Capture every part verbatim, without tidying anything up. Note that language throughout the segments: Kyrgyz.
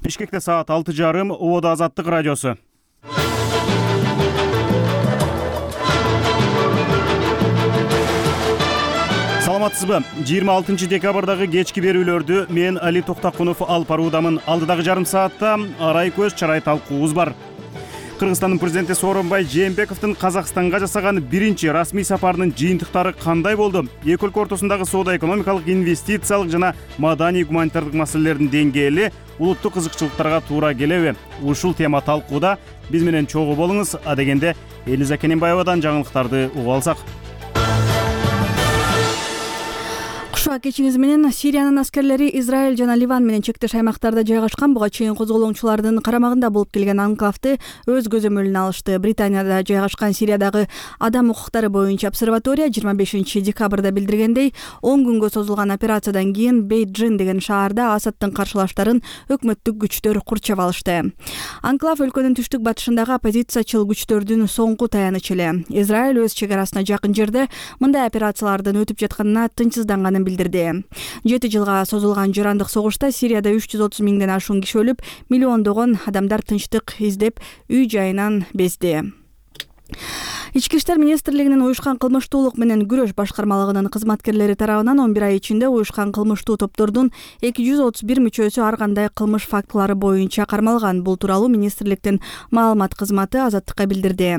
Бишкекте саат алты жарым, Ободо Азаттык радиосу. Саламатсызбы? жыйырма алтынчы декабрдагы кечки берүүлөрдү мен Али Токтакунов алып баруудамын. Алдыдагы жарым саатта арай көз чарай талкуубуз бар. Кыргызстандын президенти Сооронбай Жээнбековдун Казакстанга жасаган биринчи расмий сапарынын жыйынтыктары кандай болду? Эки өлкө ортосундагы соода-экономикалык, инвестициялык жана маданий гуманитардык маселелердин деңгээли улуттук кызыкчылыктарга туура келеби? Ушул тема талкууда. Биз менен чогуу болуңуз. Адегенде Элиза Кененбаевадан жаңылыктарды угуп алсак. Кушуа кечиңиз менен Сириянын аскерлери Израиль жана Ливан менен чектеш аймактарда жайгашкан буга чейин козголоңчулардын карамагында болуп келген анклавды өз көзөмөлүнө алышты. Британияда жайгашкан Сириядагы адам укуктары боюнча обсерватория жыйырма бешинчи декабрда билдиргендей, он күнгө созулган операциядан кийин Бейджин деген шаарда Асадтын каршылаштарын өкмөттүк күчтөр курчап алышты. Анклав өлкөнүн түштүк батышындагы оппозициячыл күчтөрдүн соңку таянычы эле. Израиль өз чек арасына жакын жерде мындай операциялардын өтүп жатканына тынчсызданганын билдирди. Жети жылга созулган жарандык согушта Сирияда үч жүз отуз миңден ашуун киши өлүп, миллиондогон адамдар тынчтык издеп үй жайынан безди. Ички иштер министрлигинин уюшкан кылмыштуулук менен күрөш башкармалыгынын кызматкерлери тарабынан он бир ай ичинде уюшкан кылмыштуу топтордун эки жүз отуз бир мүчөсү ар кандай кылмыш фактылары боюнча кармалган. Бул тууралуу министрликтин маалымат кызматы Азаттыкка билдирди.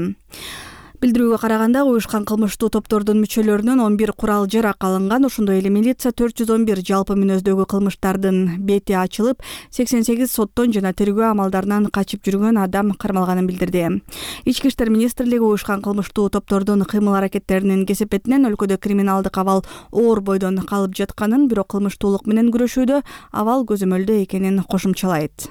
Билдирүүгө караганда, уюшкан кылмыштуу топтордун мүчөлөрүнөн он бир курал жарак алынган. Ошондой эле милиция төрт жүз он бир жалпы мүнөздөгү кылмыштардын бети ачылып, сексен сегиз соттон жана тергөө амалдарынан качып жүргөн адам кармалганын билдирди. Ички иштер министрлиги уюшкан кылмыштуу топтордун кыймыл-аракеттеринин кесепетинен өлкөдө криминалдык абал оор бойдон калып жатканын, бирок кылмыштуулук менен күрөшүүдө абал көзөмөлдө экенин кошумчалайт.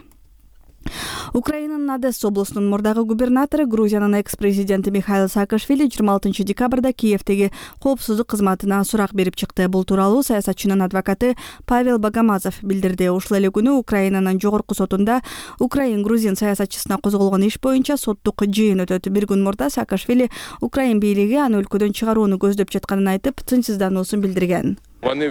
Украинанын Одесса облусунун мурдагы губернатору, Грузиянын экс-президенти Михаил Саакашвили жыйырма алтынчы декабрда Киевдеги коопсуздук кызматына сурак берип чыкты. Бул тууралуу саясатчынын адвокаты Павел Богомазов билдирди. Ушул эле күнү Украинанын жогорку сотунда Украин-грузин саясатчысына козголгон иш боюнча соттук жыйын өтөт. Бир күн мурда Саакашвили Украин бийлиги аны өлкөдөн чыгарууну көздөп жатканын айтып, тынчсыздануусун билдирген. Алар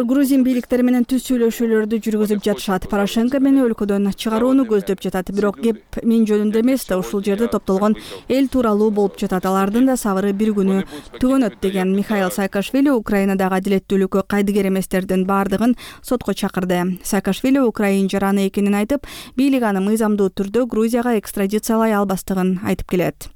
грузин бийликтери менен түз сүйлөшүүлөрдү жүргүзүп жатышат. Порошенко мени өлкөдөн чыгарууну көздөп жатат. Бирок кеп мен жөнүндө эмес да, ушул жерде топтолгон эл тууралуу болуп жатат. Алардын да сабыры бир күнү түгөнөт, деген Михаил Саакашвили Украинадагы адилеттүүлүккө кайдыгер эместердин баардыгын сотко чакырды. Саакашвили Украин жараны экенин айтып, бийлик аны мыйзамдуу түрдө Грузияга экстрадициялай албастыгын айтып келет.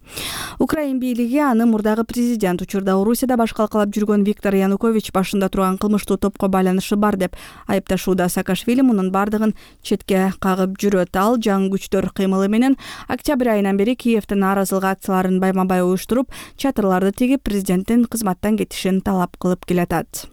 Украин бийлиги аны мурдагы президент, учурда Орусияда баш калкалап жүргөн Виктор Янукович башында турган кылмыштуу топко байланышы бар деп айыпташууда. Саакашвили мунун бардыгын четке кагып жүрөт. Ал жаңы күчтөр кыймылы менен октябрь айынан бери Киевдин нааразылык акцияларын байма-бай уюштуруп, чатырларды тигип, президенттин кызматтан кетишин талап кылып келатат.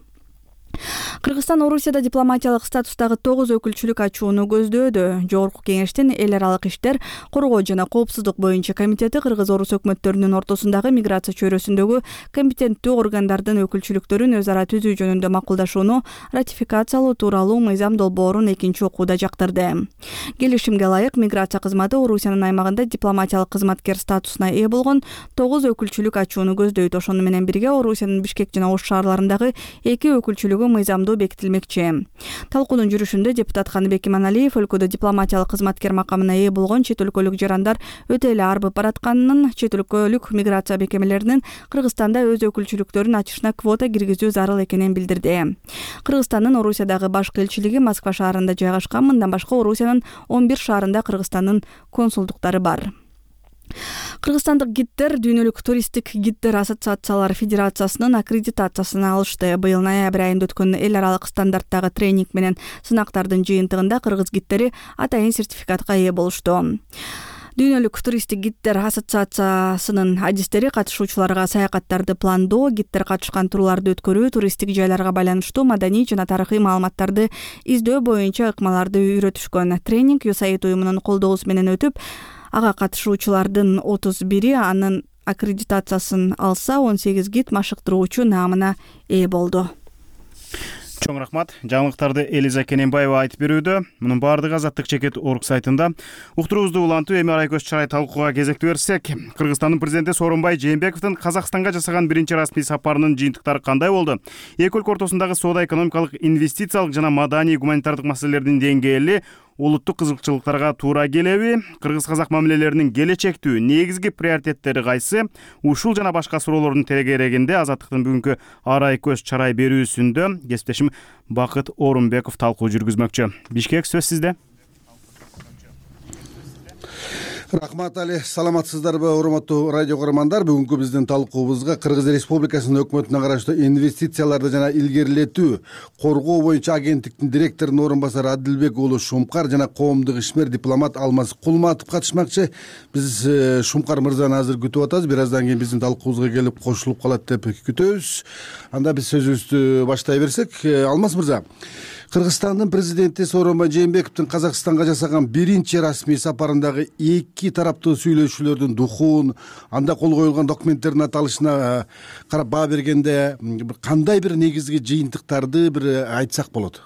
Кыргызстан Орусияда дипломатиялык статустагы тогуз өкүлчүлүк ачууну көздөөдө. Жогорку кеңештин эл аралык иштер, коргоо жана коопсуздук боюнча комитети кыргыз-орус өкмөттөрүнүн ортосундагы миграция чөйрөсүндөгү компетенттүү органдардын өкүлчүлүктөрүн өз ара түзүү жөнүндө макулдашууну ратификациялоо тууралуу мыйзам долбоорун экинчи окууда жактырды. Келишимге ылайык миграция кызматы Орусиянын аймагында дипломатиялык кызматкер статусуна ээ болгон тогуз өкүлчүлүк ачууну көздөйт. Ошону менен бирге Орусиянын Бишкек жана Ош шаарларындагы эки өкүлчүлүгү мыйзамдуу бекитилмекчи. Талкуунун жүрүшүндө депутат Каныбек Иманалиев өлкөдө дипломатиялык кызматкер макамына ээ болгон чет өлкөлүк жарандар өтө эле арбып баратканын, чет өлкөлүк миграция мекемелеринин Кыргызстанда өз өкүлчүлүктөрүн ачышына квота киргизүү зарыл экенин билдирди. Кыргызстандын Орусиядагы башкы элчилиги Москва шаарында жайгашкан. Мындан башка Орусиянын он бир шаарында Кыргызстандын консулдуктары бар. Кыргызстандык гиддер Дүйнөлүк туристтик гиддер ассоциациялар федерациясынын аккредитациясын алышты. Быйыл ноябрь айында өткөн эл аралык стандарттагы тренинг менен сынактардын жыйынтыгында кыргыз гиддери атайын сертификатка ээ болушту. Дүйнөлүк туристтик гиддер ассоциациясынын адистери катышуучуларга саякаттарды пландоо, гиддер катышкан турларды өткөрүү, туристтик жайларга байланыштуу маданий жана тарыхый маалыматтарды издөө боюнча ыкмаларды үйрөтүшкөн. Тренинг ю эс эй ай ди уюмунун колдоосу менен өтүп, ага катышуучулардын отуз бири анын аккредитациясын алса, он сегиз гид машыктыруучу наамына ээ болду. Чоң рахмат. Жаңылыктарды Элиза Кененбаева айтып берүүдө. Мунун баардыгы Азаттык чекит орг сайтында. Уктуруубузду улантуу эми Арайкөз чарай талкууга кезекти берсек, Кыргызстандын президенти Сооронбай Жээнбековдун Казакстанга жасаган биринчи расмий сапарынын жыйынтыктары кандай болду? Эки өлкө ортосундагы соода, экономикалык, инвестициялык жана маданий гуманитардык маселелердин деңгээли улуттук кызыкчылыктарга туура келеби? Кыргыз-казак мамилелеринин келечектүү негизги приоритеттери кайсы? Ушул жана башка суроолордун тегерегинде Азаттыктын бүгүнкү Арайкөз чарай берүүсүндө кесиптешим Бакыт Орунбеков талкуу жүргүзмөкчү. Бишкек, сөз сизде. Рахмат Али, саламатсыздарбы урматтуу радио көрөрмандар? Бүгүнкү биздин талкуубузга Кыргыз Республикасынын өкмөтүнө караштуу инвестицияларды жана илгерилетүү коргоо боюнча агенттиктин директорунун орун басары Адилбек уулу Шумкар жана коомдук ишмер дипломат Алмаз Кулматов катышмакчы. Биз Шумкар мырзаны азыр күтүп атабыз. Бир аздан кийин биздин талкуубузга келип кошулуп калат деп күтөбүз. Анда биз сөзүбүздү баштай берсек, Алмаз мырза, Кыргызстандын президенти Сооронбай Жээнбековдун Казакстанга жасаган биринчи расмий сапарындагы эки тараптуу сүйлөшүүлөрдүн духун, анда кол коюлган документтердин аталышына карап баа бергенде кандай бир негизги жыйынтыктарды бир айтсак болот?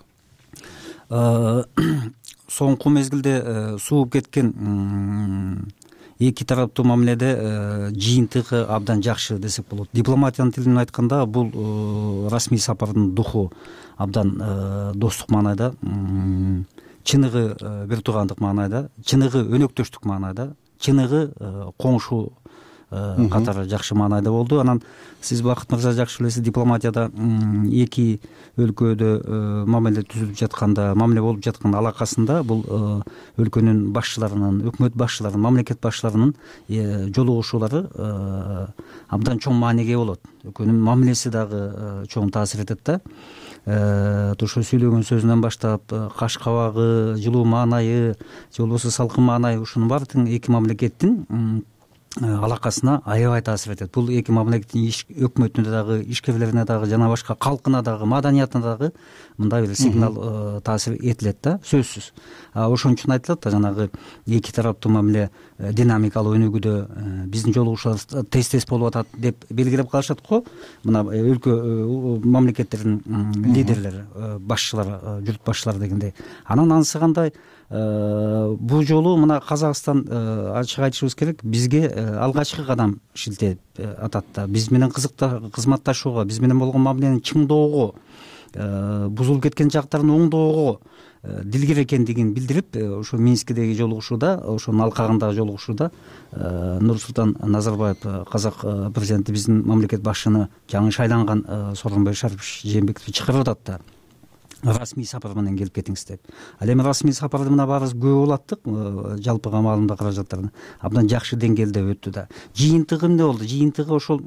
Соңку мезгилде сууп кеткен эки тараптуу мамиледе жыйынтыгы абдан жакшы десек болот. Дипломатиянын тилинен айтканда, бул расмий сапардын духу абдан достук маанайда, чыныгы бир туугандык маанайда, чыныгы өнөктөштүк маанайда, чыныгы коңшу катары жакшы маанайда болду. Анан сиз Бакыт мырза жакшы билесиз, дипломатияда эки өлкөдө мамиле түзүлүп жатканда, мамиле болуп жаткан алакасында бул өлкөнүн башчыларынын, өкмөт башчыларынын, мамлекет башчыларынын жолугушуулары абдан чоң мааниге болот. Өлкөнүн мамилеси дагы чоң таасир этет да. Ошо сүйлөгөн сөзүнөн баштап, каш кабагы, жылуу маанайы, же болбосо салкын маанайы, ушунун баардыгын эки мамлекеттин алакасына аябай таасир этет. Бул эки мамлекеттин өкмөтүнө дагы, ишкерлерине дагы, жана башка калкына дагы, маданиятына дагы мындай бир сигнал таасир этилет да, сөзсүз. Ошон үчүн айтылат да, жанагы эки тараптуу мамиле динамикалуу өнүгүүдө биздин жолугушуулар тез-тез болуп атат деп белгилеп калышат го. Мына өлкө мамлекеттердин лидерлери, башчылары, журт башчылары дегендей. Анан анысы кандай? Бул жолу мына Казакстан, ачык айтышыбыз керек, бизге алгачкы кадам шилтеп атат да. Биз менен кызматташууга, биз менен болгон мамиленин чыңдоого, бузулуп кеткен жактарын оңдоого дилгер экендигин билдирип, ошо Минскидеги жолугушууда, ошонун алкагындагы жолугушууда Нурсултан Назарбаев, казак президенти, биздин мамлекет башчыны, жаңы шайланган Сооронбай Жээнбековду чакырып атат да. Расмий сапар менен келип кетиңиз деп. Ал эми расмий сапарды мына баарыбыз көп улаттык, жалпыга маалымда каражаттарын абдан жакшы деңгээлде өттү да. Жыйынтыгы эмне болду? Жыйынтыгы ошол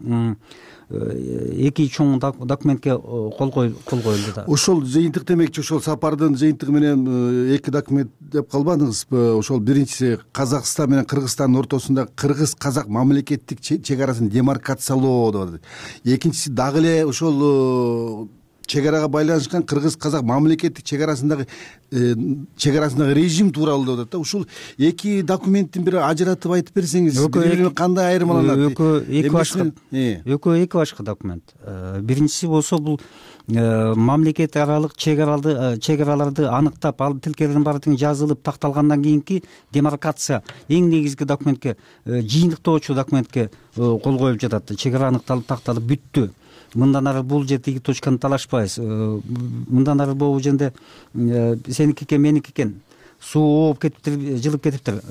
эки чоң документке кол коюлду да. Ошол жыйынтык демекчи, ошол сапардын жыйынтыгы менен эки документ деп калбадыңызбы? Ошол биринчиси Казакстан менен Кыргызстандын ортосунда кыргыз-казак мамлекеттик чек арасын демаркациялоо деп. Экинчиси дагы эле ошол чек арага байланышкан кыргыз-казак мамлекеттик чек арасындагы чек арасындагы режим тууралуу деп атат да. Ушул эки документтин бир ажыратып айтып берсеңиз, бири-бири кандай айырмаланат? Экөө эки башка, экөө эки башка документ. Биринчиси болсо бул мамлекет аралык чек араларды аныктап, ал тилкелердин баардыгы жазылып такталгандан кийинки демаркация эң негизги документке, жыйынтыктоочу документке кол коюлуп жатат. Чек ара аныкталып, такталып бүттү. Мындан ары бул жердеги точканы талашпайбыз. Мындан ары могу жерде сеники экен, меники экен, суу ооп кетиптир, жылып кетиптир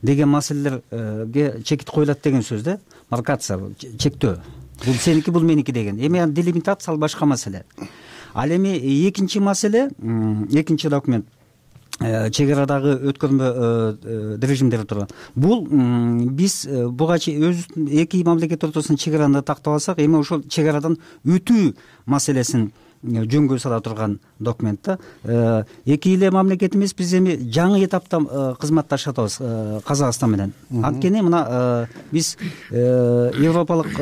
деген маселелерге чекит коюлат деген сөз да. Маркация, чектөө. Бул сеники, бул меники деген. Эми делимитация ал башка маселе. Ал эми экинчи маселе, экинчи документ чек арадагы өткөрмө режимдери турат. Бул биз буга өзүбүздүн эки мамлекет ортосунун чек араны тактап алсак, эми ошол чек арадан өтүү маселесин жөнгө сала турган документ да. Эки эле мамлекетибиз биз эми жаңы этапта кызматташып атабыз Казакстан менен. Анткени мына биз европалык,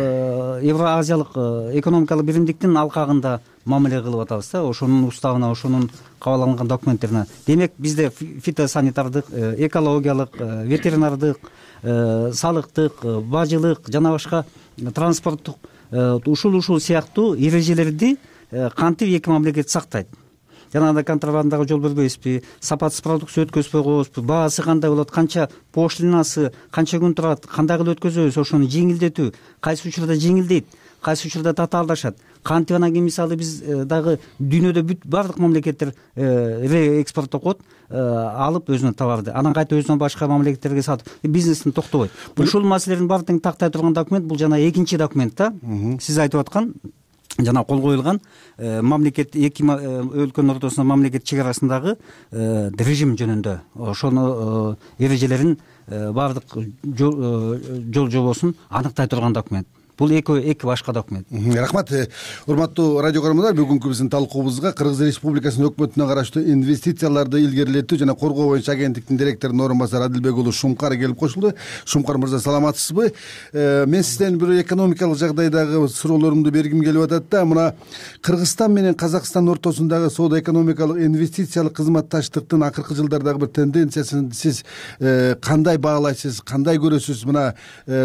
евроазиялык экономикалык биримдиктин алкагында мамиле кылып атабыз да, ошонун уставына, ошонун кабыл документтерине. Демек бизде фитосанитардык, экологиялык, ветеринардык, салыктык, бажылык жана башка транспорттук ушул ушул сыяктуу эрежелерди кантип эки мамлекет сактайт? Жанагындай контрабандага жол бербейбизби, сапатсыз продукция өткөзбөй коебузбу, баасы кандай болот, канча пошлинасы, канча күн турат, кандай кылып өткөзөбүз, ошону жеңилдетүү, кайсы учурда жеңилдейт, кайсы учурда татаалдашат, кантип анан кийин мисалы биз дагы дүйнөдө бүт баардык мамлекеттер реэкспорттоп коет, алып өзүнө товарды, анан кайта өзүнөн башка мамлекеттерге сатып бизнесин токтобойт. Ушул маселелердин баардыгын тактай турган документ бул жана экинчи документ да, сиз айтып аткан жана кол коюлган мамлекет эки өлкөнүн ортосундагы мамлекет чек арасындагы режим жөнүндө ошону эрежелерин баардык жол жобосун аныктай турган документ. Бул эки эки башка документ. Рахмат. Урматтуу радио көрөрмандар, бүгүнкү биздин талкуубузга Кыргыз Республикасынын өкмөтүнө караштуу инвестицияларды илгерилетүү жана коргоо боюнча агенттиктин директорунун орун басары Адилбек уулу Шумкар келип кошулду. Шумкар мырза, саламатсызбы? Мен сизден бир экономикалык жагдайдагы суроолорумду бергим келип атат да, мына Кыргызстан менен Казакстан ортосундагы соода экономикалык инвестициялык кызматташтыктын акыркы жылдардагы бир тенденциясын сиз кандай баалайсыз, кандай көрөсүз? Мына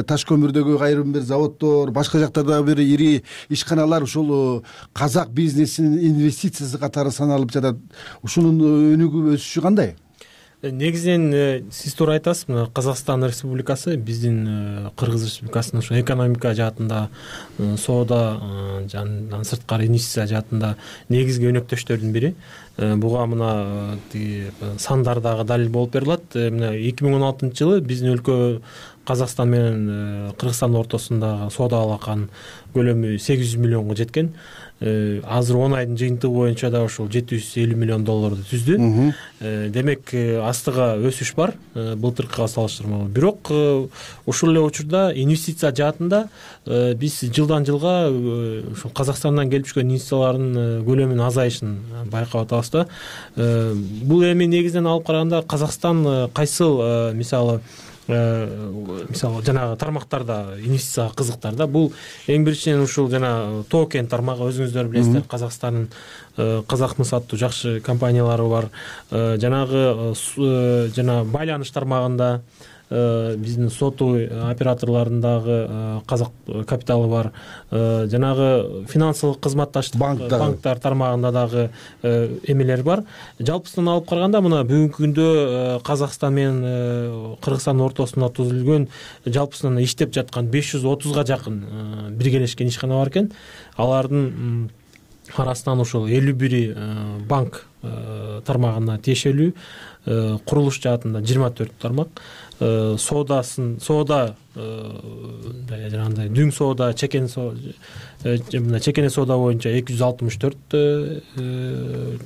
таш көмүрдөгү айрым бир заводдор, башка жактарда бир ири ишканалар ушул казак бизнесинин инвестициясы катары саналып жатат. Ушунун өнүгүү өсүшү кандай? Негизинен сиз туура айтасыз. Мына Казакстан Республикасы биздин Кыргыз Республикасынын ушу экономика жаатында, соода жана сырткары инвестиция жаатында негизги өнөктөштөрдүн бири. Буга мына тиги сандар дагы далил болуп берилет. Мына эки миң он алтынчы жылы биздин өлкө Казакстан менен Кыргызстан ортосундагы соода алаканын көлөмү сегиз жүз миллионго жеткен. Азыр он айдын жыйынтыгы боюнча да ушул жети жүз элүү миллион долларду түздү. Демек астыга өсүш бар былтыркыга салыштырмалуу. Бирок ушул эле учурда инвестиция жаатында биз жылдан жылга ушул Казакстандан келип түшкөн инвестициялардын көлөмүнүн азайышын байкап атабыз да. Бул эми негизинен алып караганда Казакстан кайсыл мисалы мисалы жанагы тармактарда инвестицияга кызыктар да. Бул эң биринчиден ушул жана Тоо кен тармагы, өзүңүздөр билесиздер, Казакстандын Казакмыс аттуу жакшы компаниялары бар. Жанагы жана байланыш тармагында биздин сотовый операторлорундагы казак капиталы бар. Жанагы финансылык кызматташтык банктар тармагында дагы эмелер бар. Жалпысынан алып караганда мына бүгүнкү күндө Казакстан менен Кыргызстандын ортосунда түзүлгөн жалпысынан иштеп жаткан беш жүз отузга жакын биргелешкен ишкана бар экен. Алардын арасынан ушул элүү бири банк тармагына тиешелүү, курулуш жаатында жыйырма төрт тармак, соодасын соода жанагындай дүң соода, чекен соода, чекене соода боюнча эки жүз алтымыш төрт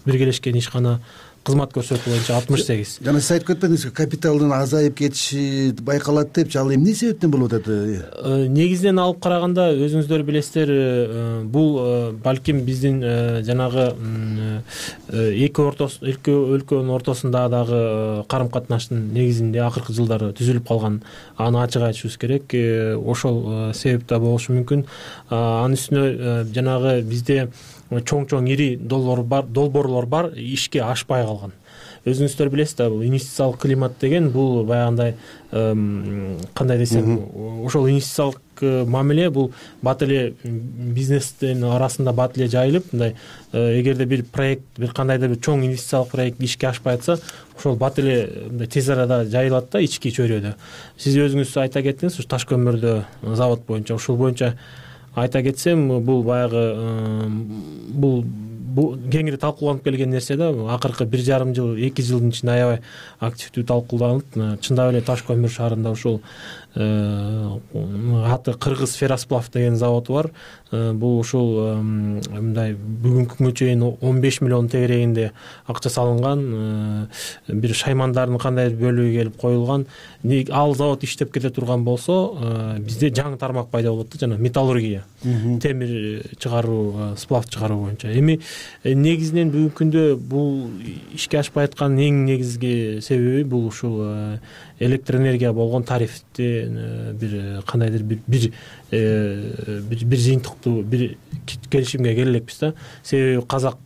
биргелешкен ишкана, кызмат көрсөтүү боюнча алтымыш сегиз. Жана сиз айтып кетпедиңизби, капиталдын азайып кетиши байкалат депчи, ал эмне себептен болуп атат? Негизинен алып караганда өзүңүздөр билесиздер, бул балким биздин жанагы эки ортос эки өлкөнүн ортосундагы дагы карым катнаштын негизинде акыркы жылдары түзүлүп калган, аны ачык айтышыбыз керек. Ошол себеп да болушу мүмкүн. Анын үстүнө жанагы бизде чоң-чоң ири долбор бар, долбоорлор бар, ишке ашпай калган. Өзүңүздөр билесиздер, бул инвестициялык климат деген бул баягындай кандай десем, ошол инвестициялык мамиле бул бат эле бизнестин арасында бат эле жайылып, мындай эгерде бир проект, бир кандайдыр бир чоң инвестициялык проект ишке ашпай атса, ошол бат эле мындай тез арада жайылат да ички чөйрөдө. Сиз өзүңүз айта кеттиңиз, ушу таш көмүрдө завод боюнча, ушул боюнча айта кетсем, бул баягы бул кеңири талкууланып келген нерсе да. Акыркы бир жарым жыл, эки жылдын ичинде аябай активдүү талкууланып, чындап эле таш көмүр шаарында ушул аты Кыргыз Ферросплав деген завод бар. Бул ушул мындай бүгүнкү күнгө чейин он беш миллион тегерегинде акча салынган, бир шаймандардын кандайдыр бөлүгү келип коюлган. Ал завод иштеп кете турган болсо, бизде жаңы тармак пайда болот да, жана металлургия, темир чыгаруу, сплав чыгаруу боюнча. Эми негизинен бүгүнкү күндө бул ишке ашпай аткан эң негизги себеби бул ушул электр энергия болгон тарифти бир кандайдыр бир бир бир жыйынтыктуу бир келишимге келе элекпиз да. Себеби казак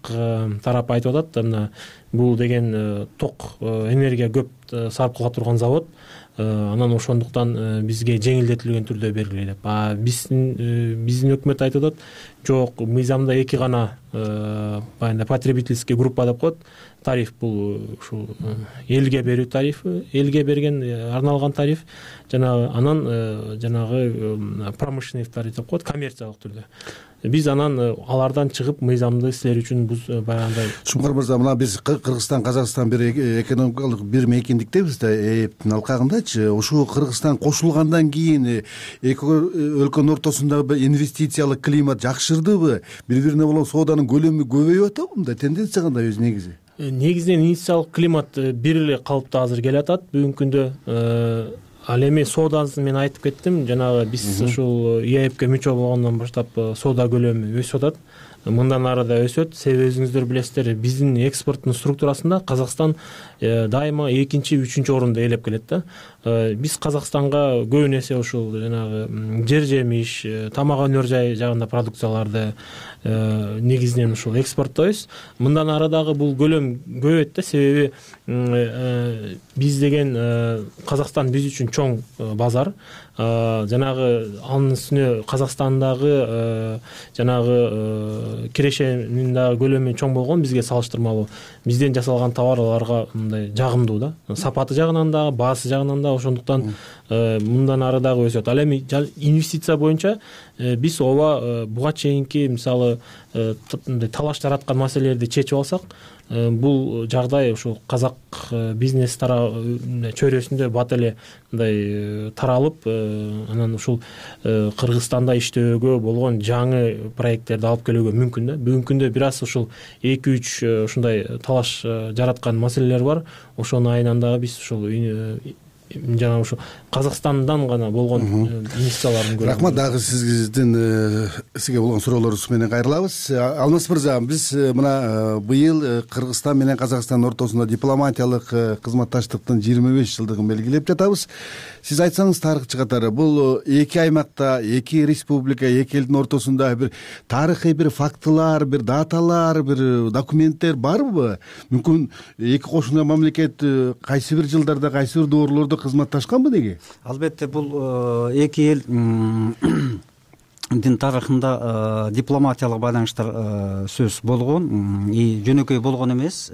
тарап айтып атат, мына бул деген ток энергия көп сарп кыла турган завод, анан ошондуктан бизге жеңилдетилген түрдө бергиле деп. А биздин биздин өкмөт айтып атат, жок, мыйзамда эки гана баягы потребительский группа деп коет. Тариф бул ушул элге берүү тарифи, элге берген арналган тариф, жана анан жанагы промышленный тариф деп коет, коммерциялык түрдө. Биз анан алардан чыгып мыйзамды силер үчүн баягындай. Шумкар мырза, мына биз Кыргызстан, Казакстан бир экономикалык бир мейкиндиктебиз да, эптин алкагындачы. Ушул Кыргызстан кошулгандан кийин эки өлкөнүн ортосундагы инвестициялык климат жакшырдыбы? Бири-бирине болгон сооданын көлөмү көбөйүп атабы? Мындай тенденция кандай өзү негизи? Негизинен инвестициялык климат бир эле калыпта азыр келатат бүгүнкү күндө. Ал эми соодасын мен айтып кеттим, жанагы биз ушул ИАЭПке мүчө болгондон баштап соода көлөмү өсүп атат. Мындан ары да өсөт. Себеби өзүңүздөр билесиздер, биздин экспорттун структурасында Казакстан дайыма экинчи, үчүнчү орунду ээлеп келет да. Биз Казакстанга көбүн эсе ушул жанагы жер жемиш, тамак өнөр жай жагында продукцияларды негизинен ушул экспорттойбуз. Мындан ары дагы бул көлөм көбөйөт да, себеби биз деген Казакстан биз үчүн чоң базар. Жанагы анын үстүнө Казакстандагы жанагы кирешенин дагы көлөмү чоң болгон, бизге салыштырмалуу. Бизден жасалган товар аларга мындай жагымдуу да. Сапаты жагынан дагы, баасы жагынан да, ошондуктан мындан ары дагы өсөт. Ал эми инвестиция боюнча биз ооба буга чейинки мисалы талаш жараткан маселелерди чечип алсак, бул жагдай ушул казак бизнес чөйрөсүндө бат эле мындай таралып, анан ушул Кыргызстанда иштөөгө болгон жаңы проекттерди алып келүүгө мүмкүн да. Бүгүнкү күндө бир аз ушул эки үч ушундай талаш жараткан маселелер бар. Ошонун айынан дагы биз ушул жана ушу Казакстандан гана болгон инвестициялардын көрүп. Рахмат, дагы сиздин сизге болгон суроолорубуз менен кайрылабыз. Алмаз мырза, биз мына быйыл Кыргызстан менен Казакстандын ортосунда дипломатиялык кызматташтыктын жыйырма беш жылдыгын белгилеп жатабыз. Сиз айтсаңыз тарыхчы катары, бул эки аймакта, эки республика, эки элдин ортосунда бир тарыхый бир фактылар, бир даталар, бир документтер барбы? Мүмкүн эки кошуна мамлекет кайсы бир жылдарда, кайсы бир доорлордо кызматташканбы деги? Албетте, бул эки элдин тарыхында дипломатиялык байланыштар сөз болгон, и жөнөкөй болгон эмес.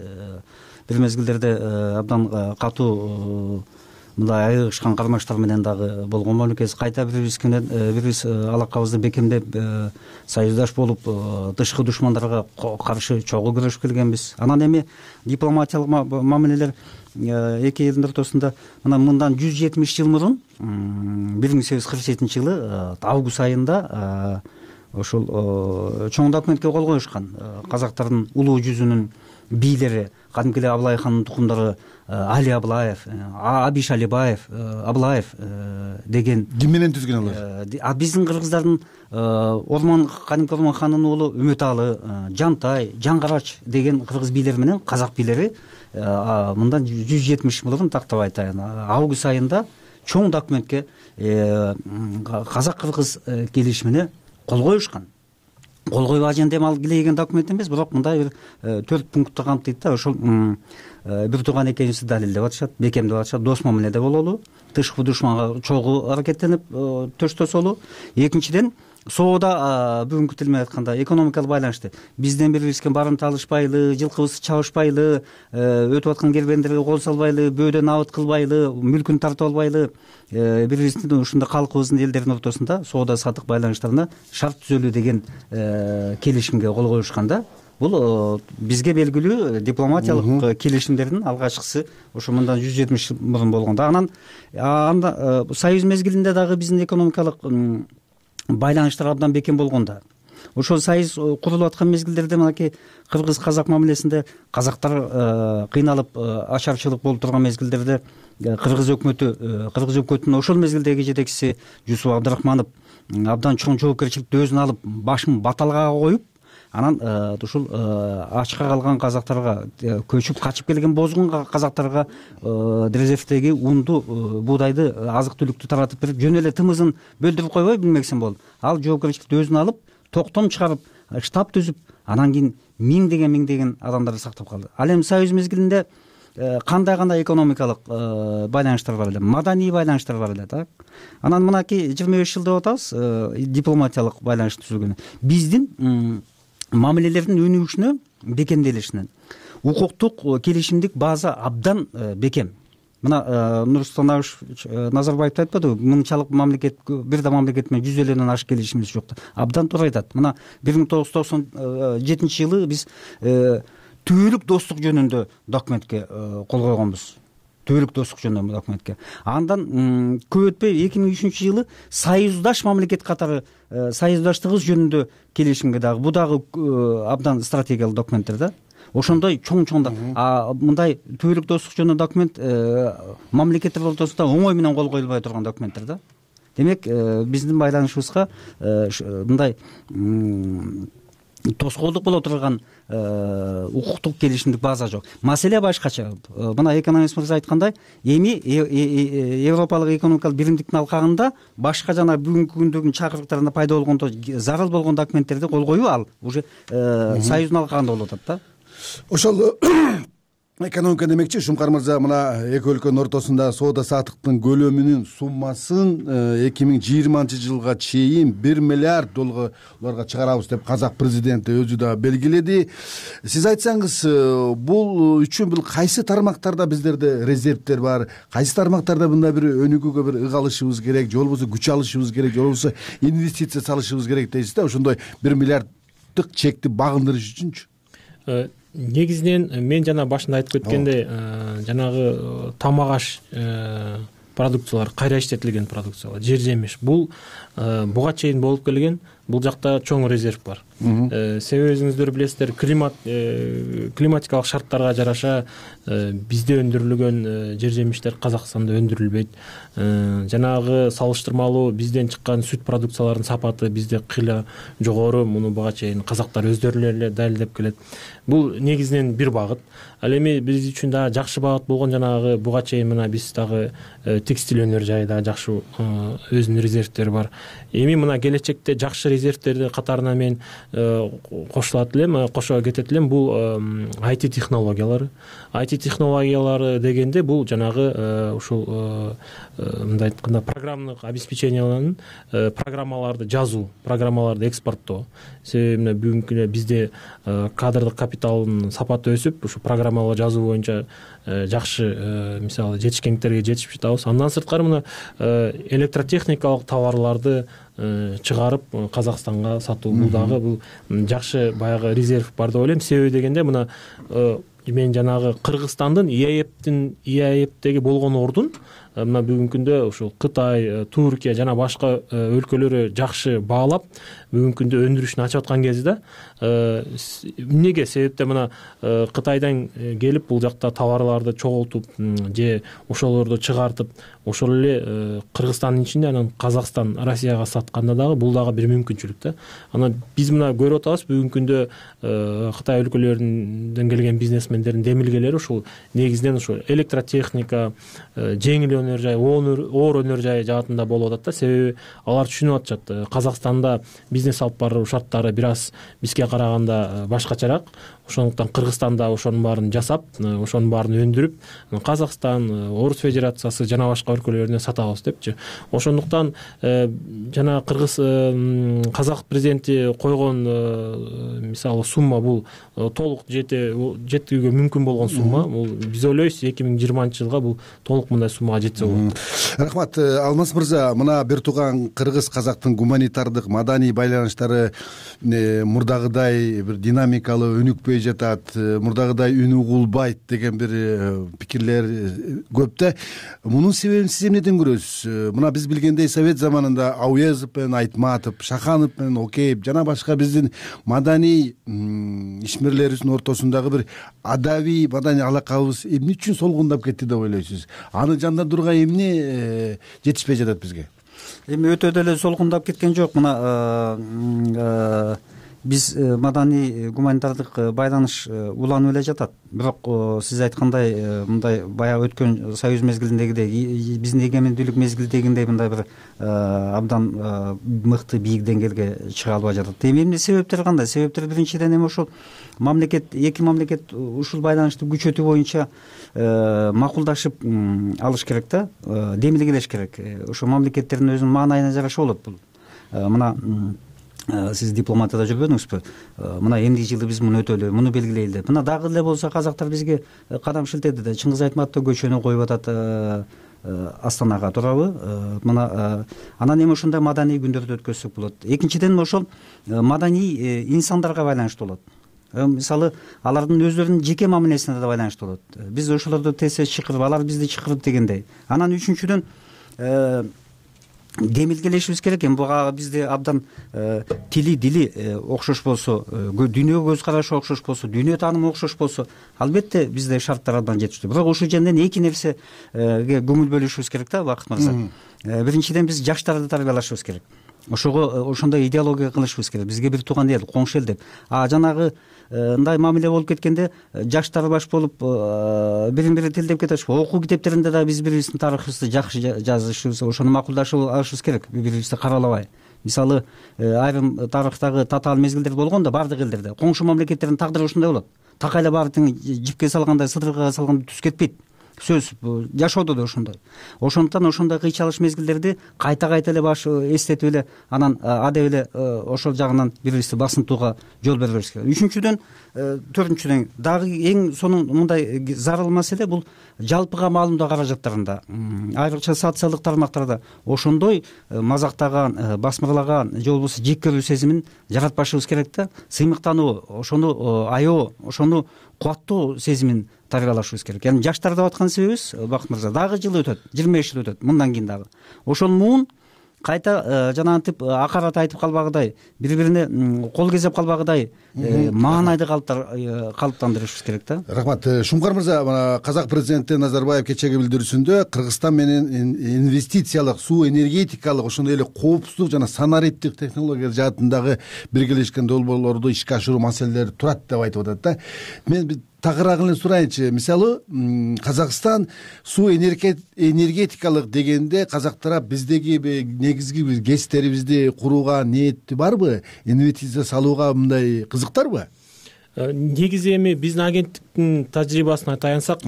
Бир мезгилдерде абдан катуу мындай айыгышкан кармаштар менен дагы болгон мамлекет. Кайта бирибиз менен бирибиз алакабызды бекемдеп, союздаш болуп, тышкы душмандарга каршы чогуу күрөшүп келгенбиз. Анан эми дипломатиялык мамилелер эки элдин ортосунда мына мындан жүз жетимиш жыл мурун, бир миң сегиз жүз кырк жетинчи жылы август айында ошол чоң документке кол коюшкан. Казактардын улуу жүзүнүн бийлери, кадимки эле Аблай хандын тукумдары Али Аблаев, Абиш Алибаев, Аблаев деген. Ким менен түзгөн алар? А биздин кыргыздардын Ормон, кадимки Ормон ханынын уулу Үмөталы, Жантай, Жаңгарач деген кыргыз бийлери менен казак бийлери мындан жүз жетимиш мурун тактап айтайын, август айында чоң документке, казак-кыргыз келишимине кол коюшкан. Кол коюп ажендем ал килеген документ эмес, бирок мындай бир төрт пунктты камтыйт да. Ошол бир тууган экенибизди далилдеп атышат, бекемдеп атышат, дос мамиледе бололу, тышкы душманга чогуу аракеттенип төштөсөлү. Экинчиден, соода, бүгүнкү тил менен айтканда, экономикалык байланышты бизден бирибизге барымта алышпайлы, жылкыбызды чабышпайлы, өтүп аткан кербендерге кол салбайлы, бөөдөн абыт кылбайлы, мүлкүн тартып албайлы, бирибиздин ушундай калкыбыздын элдердин ортосунда соода саттык байланыштарына шарт түзөлүү деген келишимге кол коюшкан да. Бул бизге белгилүү дипломатиялык келишимдердин алгачкысы ошо мындан жүз жетимиш жыл мурун болгон да. Анан анда союз мезгилинде дагы биздин экономикалык байланыштар абдан бекем болгон да. Ошол союз курулуп аткан мезгилдерде мынакей кыргыз-казак мамилесинде казактар кыйналып, ачарчылык болуп турган мезгилдерде кыргыз өкмөтү, кыргыз өкмөтүнүн ошол мезгилдеги жетекчиси Жусуп Абдрахманов абдан чоң жоопкерчиликти өзүнө алып, башын баталга коюп, анан ушул ачка калган казактарга, көчүп качып келген бозгун казактарга резервдеги унду, буудайды, азык-түлүктү таратып берип, жөн эле тымызын бөлдүрүп койбой билмексин болуп, ал жоопкерчиликти өзүнө алып, токтом чыгарып, штаб түзүп, анан кийин миңдеген миңдеген адамдарды сактап калды. Ал эми союз мезгилинде кандай кандай экономикалык байланыштар бар эле, маданий байланыштар бар эле, так. Анан мынакей жыйырма беш жыл деп атабыз дипломатиялык байланыш түзүлгөнү. Биздин мамилелердин өнүгүшүнө бекемделишинен укуктук келишимдик база абдан бекем. Мына Нурсултан Абишевич Назарбаев айтпадыбы, мыңчалык мамлекет, бир да мамлекет менен жүз элүүдөн ашык келишимибиз жок деп. Абдан туура айтат. Мына бир миң тогуз жүз токсон жетинчи жылы биз түбөлүк достук жөнүндө документке кол койгонбуз. Түбөлүк достук жөнүндө документке. Андан көп өтпөй эки миң үчүнчү жылы союздаш мамлекет катары союздаштыгыбыз жөнүндө келишимге дагы, бу дагы абдан стратегиялык документтер да. Ошондой чоң-чоң да. А мындай түбөлүк достук жөнүндө документ мамлекеттер ортосунда оңой менен кол коюлбай турган документтер да. Демек, биздин байланышыбызга мындай тоскоолдук боло турган укуктук келишимдик база жок. Маселе башкача. Мына экономист мырза айткандай, эми Европалык экономикалык биримдиктин алкагында башка жана бүгүнкү күндөгү чакырыктарында пайда болгондо зарыл болгон документтерди кол коюу ал уже союздун алкагында болуп атат да. Ошол экономика демекчи, Шумкар мырза, мына эки өлкөнүн ортосунда соода саттыктын көлөмүнүн суммасын эки миң жыйырманчы жылга чейин бир миллиард долларга чыгарабыз деп казак президенти өзү да белгиледи. Сиз айтсаңыз, бул үчүн бул кайсы тармактарда биздерде резервдер бар, кайсы тармактарда мындай бир өнүгүүгө бир ык алышыбыз керек, же болбосо күч алышыбыз керек, же болбосо инвестиция салышыбыз керек дейсиз да, ошондой бир миллиарддык чекти багындырыш үчүнчү? Негизинен мен жана башында айтып кеткендей, жанагы тамак аш продукциялар, кайра иштетилген продукциялар, жер жемиш, бул буга чейин болуп келген. Бул жакта чоң резерв бар. Себеби өзүңүздөр билесиздер, климат климатикалык шарттарга жараша бизде өндүрүлгөн жер жемиштер Казакстанда өндүрүлбөйт. Жанагы салыштырмалуу бизден чыккан сүт продукцияларынын сапаты бизде кыйла жогору. Муну буга чейин казактар өздөрү эле далилдеп келет. Бул негизинен бир багыт. Ал эми биз үчүн да жакшы багыт болгон жанагы буга чейин мына биз дагы текстиль өнөр жайда жакшы өзүнүн резервдери бар. Эми мына келечекте жакшы резервдерди катарына мен кошулат элем, кошо кетет элем. Бул ай ти технологиялары. ай ти технологиялары дегенде бул жанагы ушул мындай айтканда программалык обеспечениялардын программаларды жазуу, программаларды экспорттоо. Себеби бүгүнкү бизде кадрдык капиталдын сапаты өсүп, ушу программалар жазуу боюнча жакшы мисалы жетишкендиктерге жетишип жатабыз. Андан сырткары мына электротехникалык товарларды чыгарып Казакстанга сатуу, бул дагы бул жакшы баягы резерв бар деп ойлойм. Себеби дегенде мына мен жанагы Кыргызстандын ИАЭПтин ИАЭПтеги болгон ордун мына бүгүнкү күндө ушул Кытай, Туркия жана башка өлкөлөрү жакшы баалап бүгүнкү күндө өндүрүшүн ачып аткан кезде эмнеге? Себепте мына Кытайдан келип бул жакта товарларды чогултуп же ошолорду чыгартып ошол эле Кыргызстандын ичинде анан Казакстан, Россияга сатканда дагы бул дагы бир мүмкүнчүлүк да. Анан биз мына көрүп атабыз бүгүнкү күндө Кытай өлкөлөрүнөн келген бизнесмендердин демилгелери ушул негизинен ушул электротехника, жеңил өнөр жай, оор өнөр жай жаатында болуп атат да. Себеби алар түшүнүп атышат, Казакстанда бизнес алып баруу шарттары бир аз бизге караганда башкачараак. Ошондуктан Кыргызстанда ошонун баарын жасап, ошонун баарын өндүрүп, Казакстан, Орус Федерациясы жана башка өлкөлөрүнө сатабыз депчи. Ошондуктан жана Кыргыз казак президенти койгон мисалы сумма бул толук жетүүгө мүмкүн болгон сумма. Бул биз ойлойбуз эки миң жыйырманчы жылга бул толук мындай суммага жетсе болот. Рахмат. Алмаз мырза, мына бир тууган кыргыз казактын гуманитардык маданий байланыштары мурдагыдай бир динамикалуу өнүкпөй жатат, мурдагыдай үн угулбайт деген бир пикирлер көп да. Мунун себебин сиз эмнеден көрөсүз? Мына биз билгендей совет заманында Ауезов менен Айтматов, Шаханов менен Океев жана башка биздин маданий ишмерлерибиздин ортосундагы бир адабий маданий алакабыз эмне үчүн солгундап кетти деп ойлойсуз? Аны жандандырууга эмне жетишпей жатат бизге? Эми өтө деле солгундап кеткен жок. Мына биз маданий гуманитардык байланыш уланып эле жатат. Бирок сиз айткандай мындай баягы өткөн союз мезгилиндегидей биздин эгемендүүлүк мезгилдегиндей мындай бир абдан мыкты бийик деңгээлге чыга албай жатат. Эми эмне себептери кандай? Себептер биринчиден эми ошол мамлекет эки мамлекет ушул байланышты күчөтүү боюнча макулдашып алыш керек да, демилгелеш керек. Ошо мамлекеттердин өзүнүн маанайына жараша болот бул. Мына сиз дипломатияда жүрбөдүңүзбү? Мына эмдиги жылы биз муну өтөлү, муну белгилейли деп. Мына дагы эле болсо казактар бизге кадам шилтеди да. Чыңгыз Айтматов көчөнү коюп атат Астанага, туурабы? Мына анан эми ошондой маданий күндөрдү өткөзсөк болот. Экинчиден ошол маданий инсандарга байланыштуу болот. Мисалы, алардын өздөрүнүн жеке мамилесине да байланыштуу болот. Биз ошолорду тез тез чакырып, алар бизди чакырып дегендей. Анан үчүнчүдөн демилгелешибиз керек. Эми буга бизде абдан тили дили окшош болсо, дүйнөгө көз карашы окшош болсо, дүйнө таанымы окшош болсо, албетте бизде шарттар абдан жетиштүү. Бирок ушул жерден эки нерсеге көңүл бөлүшүбүз керек да, Бакыт мырза. Биринчиден биз жаштарды тарбиялашыбыз керек. Ошого ошондой идеология кылышыбыз керек. Бизге бир тууган эл, коңшу эл деп. А жанагы мындай мамиле болуп кеткенде жаштар баш болуп бирин бири тилдеп кетет. Окуу китептеринде да биз бири биздин тарыхыбызды жакшы жазышыбыз, ошону макулдашып алышыбыз керек, бири бирибизди каралабай. Мисалы, айрым тарыхтагы татаал мезгилдер болгон да бардык элдерде. Коңшу мамлекеттердин тагдыры ушундай болот. Такайлап баары тең жипке салгандай, сыдырга салгандай түз кетпейт. Сөз жашоодо да ошондой. Ошондуктан ошондой кыйчалыш мезгилдерди кайта кайта эле баш эстетип эле, анан адеп эле ошол жагынан бири-бирибизди басынтууга жол бербеш керек. Үчүнчүдөн, төртүнчүдөн дагы эң сонун мындай зарыл маселе бул жалпыга маалымдоо каражаттарында, айрыкча социалдык тармактарда ошондой мазактаган, басмырлаган же болбосо жек көрүү сезимин жаратпашыбыз керек да. Сыймыктануу, ошону аябоо, ошону кубаттоо сезимин тарбиялашыбыз керек. Яны жаштар деп аткан себебибиз, Бакыт мырза, дагы жыл өтөт, жыйырма беш жыл өтөт, мындан кийин дагы ошол муун кайта жанагынтип акарат айтып калбагыдай, бири-бирине кол кезеп калбагыдай маанайды калыптандырышыбыз керек да. Рахмат. Шумкар мырза, казак президенти Назарбаев кечеги билдирүүсүндө Кыргызстан менен инвестициялык, суу энергетикалык, ошондой эле коопсуздук жана санариптик технология жаатындагы биргелешкен долбоорлорду ишке ашыруу маселелери турат деп айтып атат да. Мен тагыраагын эле сурайынчы. Мисалы, Казакстан суу энергетикалык дегенде казак тарап биздеги негизги бир гэстерибизди курууга ниети барбы? Инвестиция салууга мындай кызыктарбы? Негизи эми биздин агенттиктин тажрыйбасына таянсак,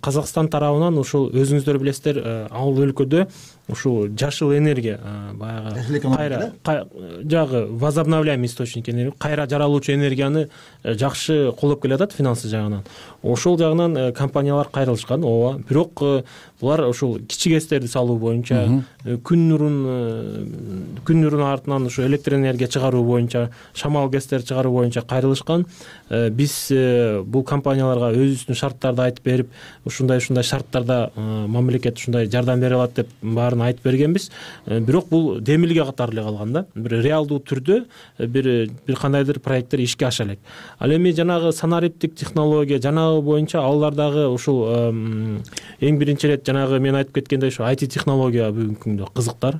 Казакстан тарабынан ушул өзүңүздөр билесиздер, ал өлкөдө ушул жашыл энергия, баягы кайра жагы возобновляемый источник энергия, кайра жаралуучу энергияны жакшы колдоп келатат финансы жагынан. Ошол жагынан компаниялар кайрылышкан, ооба. Бирок булар ушул кичи гэстерди салуу боюнча, күн нурун күн нурунун артынан ушу электр энергия чыгаруу боюнча, шамал гэстер чыгаруу боюнча кайрылышкан. Биз бул компанияларга өзүбүздүн шарттарды айтып берип, ушундай-ушундай шарттарда мамлекет ушундай жардам бере алат деп баарын айтып бергенбиз. Бирок бул демилге катары эле калган да. Бир реалдуу түрдө бир бир кандайдыр проекттер ишке аша элек. Ал эми жанагы санариптик технология жанагы боюнча алардагы ушул эң биринчи ирет жанагы мен айтып кеткендей ушу ай ти технология бүгүнкү күндө кызыктар.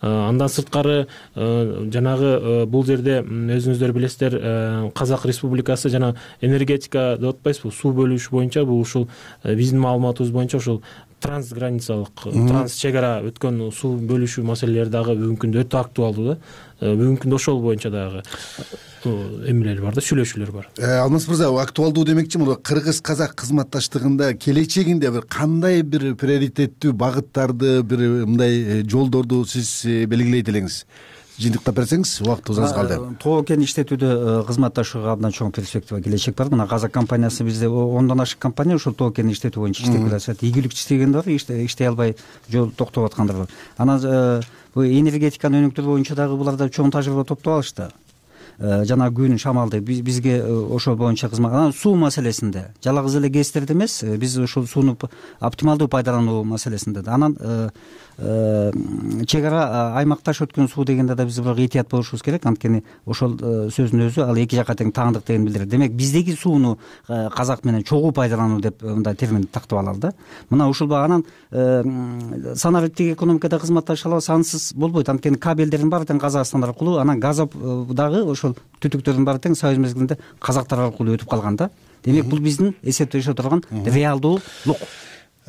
Андан сырткары жанагы бул жерде өзүңүздөр билесиздер, Казак Республикасы жана энергетика деп атпайсызбы, суу бөлүш боюнча бул ушул биздин маалыматыбыз боюнча ушул трансграницалык, транс чек ара өткөн суу бөлүшүү маселелери дагы бүгүнкү күндө өтө актуалдуу да. Бүгүнкү күндө ошол боюнча дагы эмелер бар да, сүйлөшүүлөр бар. Алмаз мырза, актуалдуу демекчи, мына кыргыз-казак кызматташтыгында келечегинде бир кандай бир приоритеттүү багыттарды, бир мындай жолдорду сиз белгилейт элеңиз? Жыйынтыктап берсеңиз, убактыбыз аз калды. Тоо кен иштетүүдө кызматташууга абдан чоң перспектива, келечек бар. Мына Казак компаниясы бизде ондон ашык компания ушул тоо кен иштетүү боюнча иштеп келатат. Ийгилик иштегендер бар, иштей албай жол токтоп аткандар бар. Анан бул энергетиканын өнүктүрүү боюнча дагы буларда чоң тажрыйба топтоп алышты. Жана күн шамалды бизге ошол боюнча кызмат. Анан суу маселесинде жалгыз эле гэстерди эмес, биз ушул сууну оптималдуу пайдалануу маселесинде да. Анан чек ара аймакташ өткөн суу дегенде да биз бирок этият болушубуз керек, анткени ошол сөздүн өзү ал эки жакка тең таандык деген билдирет. Демек биздеги сууну казак менен чогуу пайдалануу деп мындай термин тактып алалы да. Мына ушул анан санариптик экономикада кызматташа алабыз, ансыз болбойт, анткени кабелдердин баары тең Казакстан аркылуу, анан газ дагы ошол ошол түтүктөрдүн баары тең союз мезгилинде казактар аркылуу өтүп калган да. Демек бул биздин эсептешө турган реалдуулук.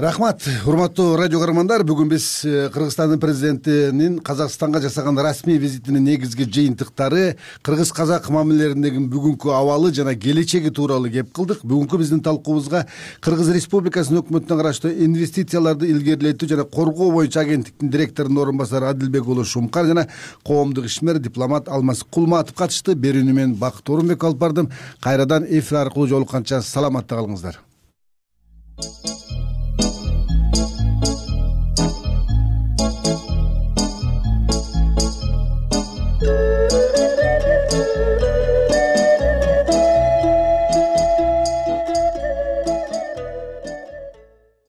Рахмат, урматтуу радио көрөрмандар. Бүгүн биз Кыргызстандын президентинин Казакстанга жасаган расмий визитинин негизги жыйынтыктары, кыргыз-казак мамилелериндеги бүгүнкү абалы жана келечеги тууралуу кеп кылдык. Бүгүнкү биздин талкуубузга Кыргыз Республикасынын өкмөтүнө караштуу инвестицияларды илгерилетүү жана коргоо боюнча агенттиктин директорунун орун басары Адилбек уулу Шумкар жана коомдук ишмер дипломат Алмаз Кулматов катышты. Берүүнү мен Бакыт Орунбек алып бардым. Кайрадан эфир аркылуу жолукканча саламатта калыңыздар.